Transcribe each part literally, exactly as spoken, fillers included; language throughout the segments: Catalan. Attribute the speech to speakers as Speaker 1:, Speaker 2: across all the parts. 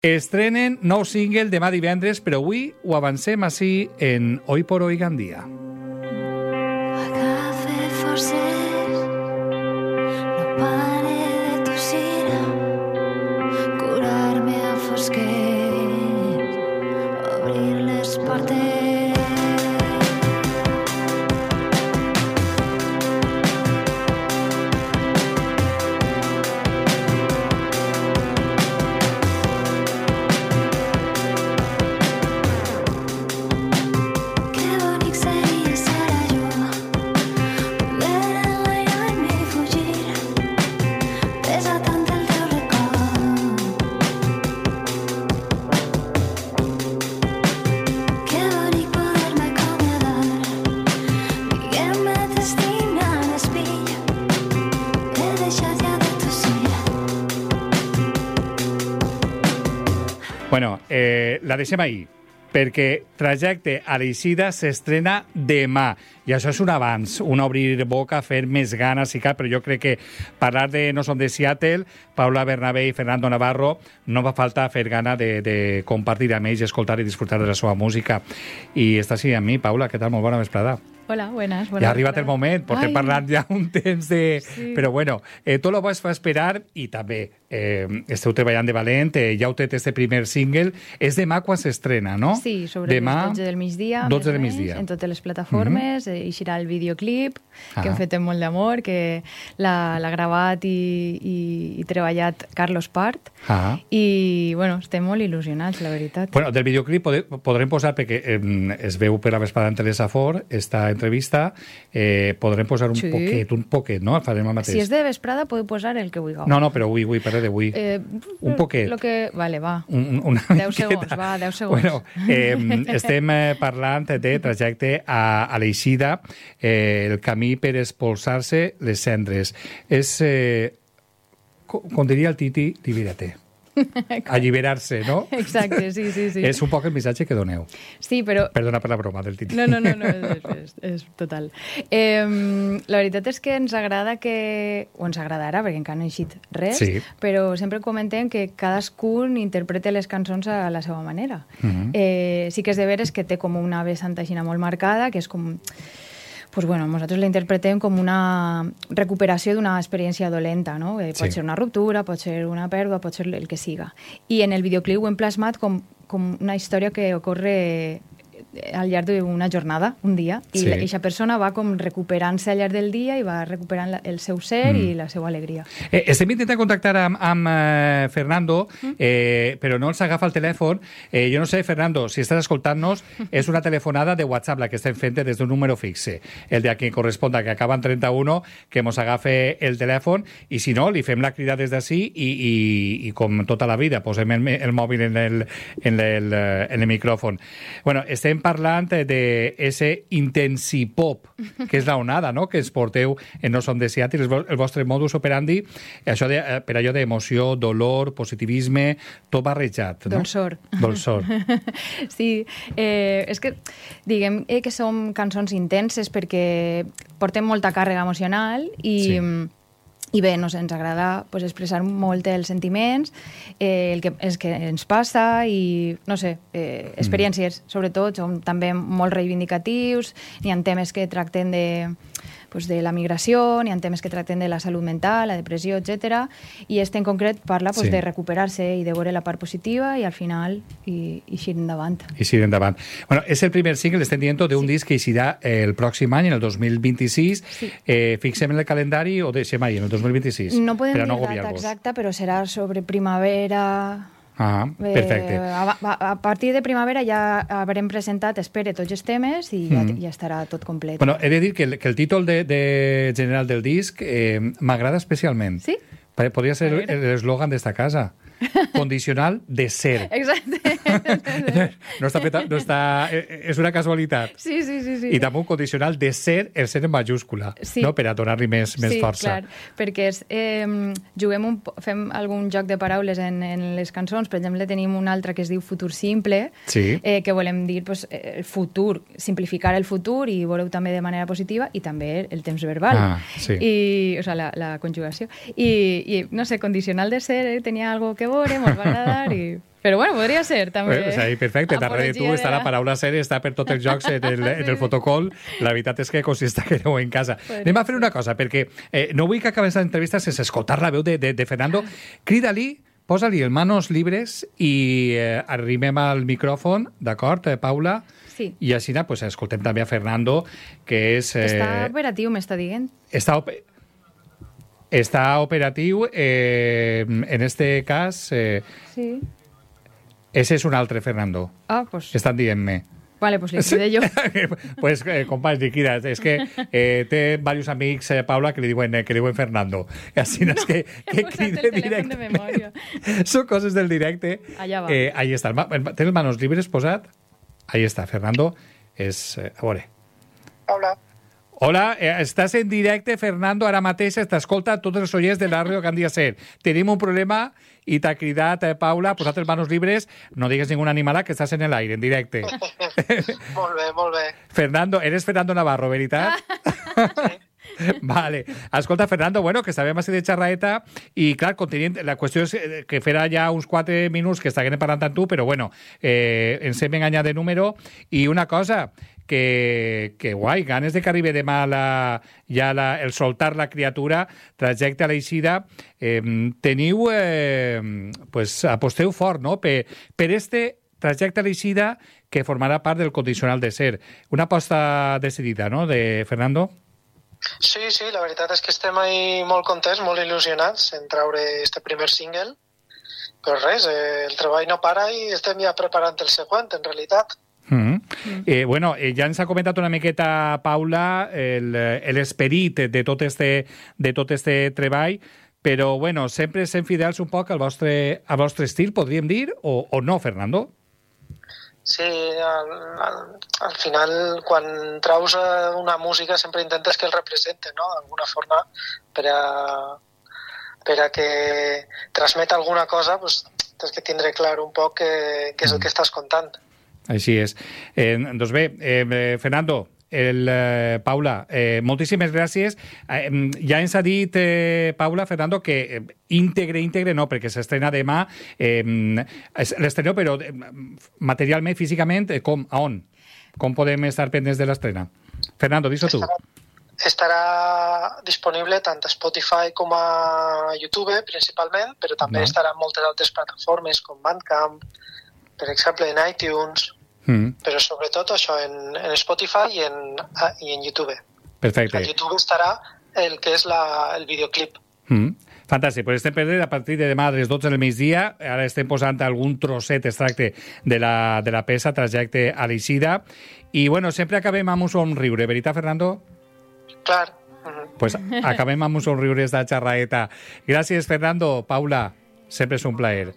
Speaker 1: Estrenen nou single demà divendres, però avui ho avancem així en Hoy por Hoy Gandia.
Speaker 2: Agafe forces, no pare de tossir, curar-me a fosquers, obrir les portes.
Speaker 1: Bueno, eh, la deixem ahir, perquè Trajecte a l'Eixida s'estrena demà. I això és un avanç, un obrir boca, fer més ganes i cal, però jo crec que parlar de No som de Seattle, Paula Bernabé i Fernando Navarro, no va faltar fer gana de, de compartir amb ells, escoltar i disfrutar de la seva música. I està així amb mi, Paula, què tal? Molt bona vesprada.
Speaker 3: Hola, buenas.
Speaker 1: Ja ha arribat el moment, portem parlant ja un temps de...
Speaker 3: Sí.
Speaker 1: Però bueno, eh, tot el vas fa esperar i també eh, esteu treballant de valent, eh, ja heu tret este primer single. És demà quan s'estrena, no?
Speaker 3: Sí, sobre
Speaker 1: demà,
Speaker 3: les dotze del migdia.
Speaker 1: dotze del migdia.
Speaker 3: En totes les plataformes, mm-hmm. eixirà el videoclip, ah. que hem fet amb molt d'amor, que l'ha gravat i, i, i treballat Carlos Part. Ah. I, bueno, estem molt il·lusionats, la veritat.
Speaker 1: Bueno, del videoclip pod podrem posar, perquè eh, es veu per la vesprada en Teresa Fort, està entrevista, eh, podrem posar un sí. poquet, un poquet, no? Farem el mateix.
Speaker 3: Si és de vesprada, podeu posar el que vulgueu.
Speaker 1: No, no, però avui, avui, parle d'avui. Eh, un poquet.
Speaker 3: Lo que... Vale, va.
Speaker 1: Un, una
Speaker 3: deu segons, va, deu segons.
Speaker 1: Bueno, eh, estem eh, parlant de Trajecte a, a l'Eixida, eh, el camí per expulsar-se les cendres. És, eh, com, com diria el Titi, libérate. Alliberar-se, no?
Speaker 3: Exacte, sí, sí, sí.
Speaker 1: És un poc el missatge que doneu.
Speaker 3: Sí, però...
Speaker 1: Perdona per la broma del Titi.
Speaker 3: No, no, no, no és, és, és total. Eh, la veritat és que ens agrada que... O ens agradarà, perquè encara no ha eixit res, sí. Però sempre comentem que cadascun interpreta les cançons a la seva manera. Uh-huh. eh, sí que és de veres que té com una vessant aixina molt marcada, que és com... Pues bueno, nosaltres la interpretem com una recuperació d'una experiència dolenta, no? Eh, pot sí. ser una ruptura, pot ser una pèrdua, pot ser el que siga. I en el videoclip ho hem plasmat com, com una història que ocorre al llarg d'una jornada, un dia, i sí. aquesta persona va com recuperant-se al llarg del dia i va recuperant la, el seu ser mm. i la seva alegria.
Speaker 1: Eh, estem intentant contactar amb, amb eh, Fernando, mm. eh, però no ens agafa el telèfon. Eh, jo no sé, Fernando, si estàs escoltant-nos, és una telefonada de WhatsApp la que estem fent des d'un número fixe. El de a qui corresponda, que acaba en trenta-un, que mos agafe el telèfon, i si no, li fem la crida des d'ací i, i, i com tota la vida, posem el, el mòbil en el, en el, en el micròfon. Bueno, estem parlant de ese intensipop, que és la onada, no?, que ens porteu en No som de Seattle, el vostre modus operandi, això de, per allò d'emoció, dolor, positivisme, tot barrejat, no?
Speaker 3: Dolçor.
Speaker 1: Dolçor.
Speaker 3: Sí, eh, és que diguem eh, que som cançons intenses perquè portem molta càrrega emocional i... Sí. I bé, no sé, ens agrada pues, expressar molt els sentiments, eh, el que, és que ens passa i, no sé, eh, experiències, mm. sobretot, som també molt reivindicatius, n'hi ha temes que tracten de, pues, de la migració, n'hi ha temes que tracten de la salut mental, la depressió, etcètera. I este en concret parla pues, sí. de recuperar-se i de veure la part positiva i al final i, i eixir endavant.
Speaker 1: Eixir endavant. Bueno, és el primer single, estem dient, d'un sí. disc que eixirà el pròxim any, en el dos mil vint-i-sis. Sí. Eh, fixem en el calendari o deixem ahí, en el dos mil vint-i-sis?
Speaker 3: No podem dir no data exacta, però serà sobre primavera...
Speaker 1: Ah, perfecte.
Speaker 3: Eh, a, a, a partir de primavera ja haurem presentat, espere, tots els temes i ja, mm. ja estarà tot complet.
Speaker 1: Bueno, he de dir que el, que el títol de, de general del disc eh, m'agrada especialment.
Speaker 3: Sí?
Speaker 1: Podria ser l'eslògan d'esta casa. Condicional de ser.
Speaker 3: Exacte.
Speaker 1: No està peta, no està, és una casualitat.
Speaker 3: Sí, sí, sí, sí.
Speaker 1: I també un condicional de ser, el ser en majúscula,
Speaker 3: sí.
Speaker 1: no? Per a donar-li més, més
Speaker 3: sí,
Speaker 1: força.
Speaker 3: Sí, clar, perquè és, eh, juguem un, fem algun joc de paraules en, en les cançons. Per exemple, tenim una altra que es diu Futur Simple, sí. eh, que volem dir pues, el futur, simplificar el futur i voleu també de manera positiva, i també el temps verbal.
Speaker 1: Ah, sí.
Speaker 3: I, o sea, la, la conjugació. I, i, no sé, condicional de ser, eh, tenia algo que veure, mos va agradar i... Però bueno, podria ser, també.
Speaker 1: Eh, o sigui, perfecte, darrere tu està la paraula ser, està per tots els jocs en el, en el fotocol. La veritat és que consista que aneu en casa. Podria Anem a fer una cosa, perquè eh, no vull que acabés l'entrevista sense escoltar la veu de, de, de Fernando. Crida-li, posa-li el manos libres i eh, arrimem al micròfon, d'acord, eh, Paula?
Speaker 3: Sí.
Speaker 1: I així pues, escoltem també a Fernando, que és... Eh,
Speaker 3: està operatiu, m'està dient.
Speaker 1: Està operatiu. Està operatiu, eh, en este cas... Eh,
Speaker 3: sí.
Speaker 1: Ese és un altre Fernando.
Speaker 3: Ah, pues...
Speaker 1: Estan dient-me.
Speaker 3: Vale, pues li cuide jo.
Speaker 1: pues, eh, companys, liquida. És que eh, té diversos amics, eh, Paula, que li diuen, eh, que li diuen Fernando. Així no, és que, que cride directe. Són coses del directe.
Speaker 3: Allà va.
Speaker 1: Eh, ahí està. Tens les manos libres posat? Ahí està, Fernando. És... Eh, a veure.
Speaker 4: Hola.
Speaker 1: Hola, eh, estàs en directe, Fernando, ara mateix t'escolta tots els oients de la ràdio que han de ser. Tenim un problema i t'ha cridat, eh, Paula, posat les manos libres, no digues ninguna animala, que estàs en l'aire, en directe.
Speaker 4: Molt bé, molt bé.
Speaker 1: Fernando, eres Fernando Navarro, veritat? Sí. Vale. Escolta, Fernando, bueno, que sabem així de xerraeta i, clar, continent, la qüestió és que farà ja uns quatre minuts que estàvem parlant amb tu, però, bueno, eh, ens hem enganyat de número. I una cosa, que, que guai, ganes de que arribi demà la, ja la, el soltar la criatura, trajecte a l'eixida, eh, teniu, eh, pues, aposteu fort, no?, per, per este trajecte a l'eixida que formarà part del condicional de ser. Una aposta decidida, no?, de Fernando?
Speaker 4: Sí, sí, la veritat és que estem ahí molt contents, molt il·lusionats en traure este primer single, però res, eh, el treball no para i estem ja preparant el següent, en realitat.
Speaker 1: Mm -hmm. mm. Eh, bueno, eh, ja ens ha comentat una miqueta, Paula, l'esperit de tot este, de tot este treball, però, bueno, sempre sent fidels un poc al vostre, al vostre estil, podríem dir, o, o no, Fernando?
Speaker 4: Sí, al, al, al final, quan traus una música sempre intentes que el represente, no?, d'alguna forma, per a, per a que transmeta alguna cosa, pues, tens que tindre clar un poc què, què és el que estàs contant.
Speaker 1: Així és. Eh, doncs bé, eh, Fernando, el, eh, Paula, eh, moltíssimes gràcies. Eh, ja ens ha dit, eh, Paula, Fernando, que eh, íntegre, íntegre no, perquè s'estrena demà. Eh, l'estrena, però eh, materialment, físicament, eh, com, a on? Com podem estar pendents de l'estrena? Fernando, dis-ho tu.
Speaker 4: Estarà, estarà disponible tant a Spotify com a YouTube, principalment, però també no. estarà en moltes altres plataformes, com Bandcamp, per exemple, en iTunes... Mm. Però sobretot això en, en Spotify i en, i en YouTube.
Speaker 1: Perfecte.
Speaker 4: En YouTube estarà el que és la, el videoclip.
Speaker 1: Mm. Fantàstic, pues estem perdent a partir de demà a les dotze del migdia. Ara estem posant algun trosset extracte de la, de la peça, trajecte a l'eixida. I, bueno, sempre acabem amb un somriure, veritat, Fernando?
Speaker 4: Clar. Mm-hmm.
Speaker 1: Pues acabem amb un somriure de xerraeta. Gràcies, Fernando. Paula, sempre és un plaer.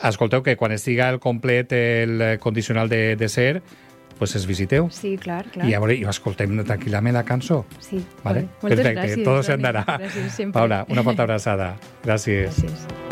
Speaker 1: Escolteu que quan estiga el complet el condicional de, de ser, pues es visiteu.
Speaker 3: Sí, clar, clar.
Speaker 1: I a veure, i escoltem tranquil·lament la cançó.
Speaker 3: Sí,
Speaker 1: vale?
Speaker 3: Moltes
Speaker 1: Perfecte,
Speaker 3: gràcies.
Speaker 1: tot s'andarà.
Speaker 3: Gràcies, sempre.
Speaker 1: Paula, una forta abraçada. Gràcies.
Speaker 3: Gràcies.